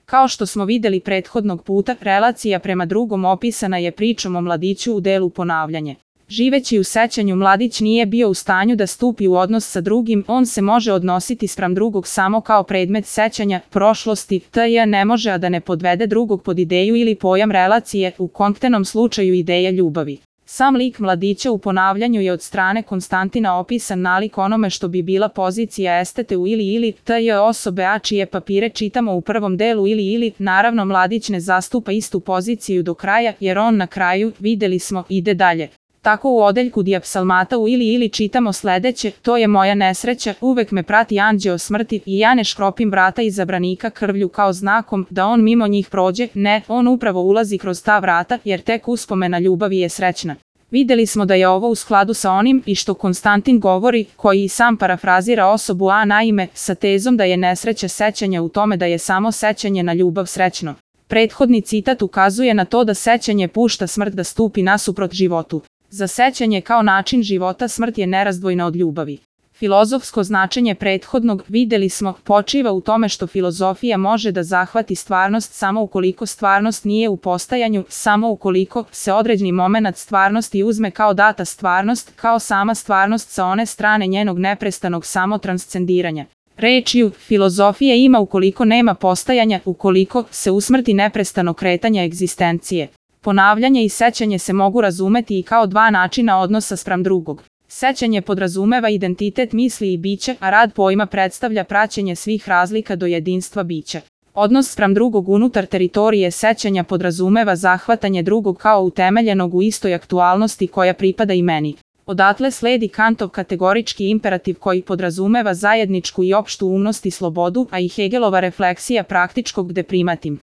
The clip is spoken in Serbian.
Kao što smo videli prethodnog puta, relacija prema drugom opisana je pričom o mladiću u delu ponavljanje. Živeći u sećanju, mladić nije bio u stanju da stupi u odnos sa drugim, on se može odnositi spram drugog samo kao predmet sećanja, prošlosti, t.j. ne može a da ne podvede drugog pod ideju ili pojam relacije, u konkretnom slučaju ideja ljubavi. Sam lik mladića u ponavljanju je od strane Konstantina opisan nalik onome što bi bila pozicija estete u ili, t.j. osobe a čije papire čitamo u prvom delu ili, naravno mladić ne zastupa istu poziciju do kraja, jer on na kraju, videli smo, ide dalje. Tako u odeljku dijapsalmata u ili čitamo sledeće: to je moja nesreća, uvek me prati anđeo smrti i ja ne škropim vrata iza branika krvlju kao znakom da on mimo njih prođe, ne, on upravo ulazi kroz ta vrata jer tek uspomena ljubavi je srećna. Videli smo da je ovo u skladu sa onim i što Konstantin govori, koji i sam parafrazira osobu a naime, sa tezom da je nesreća sećanja u tome da je samo sećanje na ljubav srećno. Prethodni citat ukazuje na to da sećanje pušta smrt da stupi nasuprot životu. Za sećanje kao način života smrt je nerazdvojna od ljubavi. Filozofsko značenje prethodnog, videli smo, počiva u tome što filozofija može da zahvati stvarnost samo ukoliko stvarnost nije u postajanju, samo ukoliko se određeni momenat stvarnosti uzme kao data stvarnost, kao sama stvarnost sa one strane njenog neprestanog samotranscendiranja. Rečju, filozofija ima ukoliko nema postajanja, ukoliko se usmrti neprestano kretanje egzistencije. Ponavljanje i sećanje se mogu razumeti i kao dva načina odnosa spram drugog. Sećanje podrazumeva identitet misli i bića, a rad pojma predstavlja praćenje svih razlika do jedinstva bića. Odnos spram drugog unutar teritorije sećanja podrazumeva zahvatanje drugog kao utemeljenog u istoj aktualnosti koja pripada i meni. Odatle sledi Kantov kategorički imperativ koji podrazumeva zajedničku i opštu umnost i slobodu, a i Hegelova refleksija praktičkog gde primatim.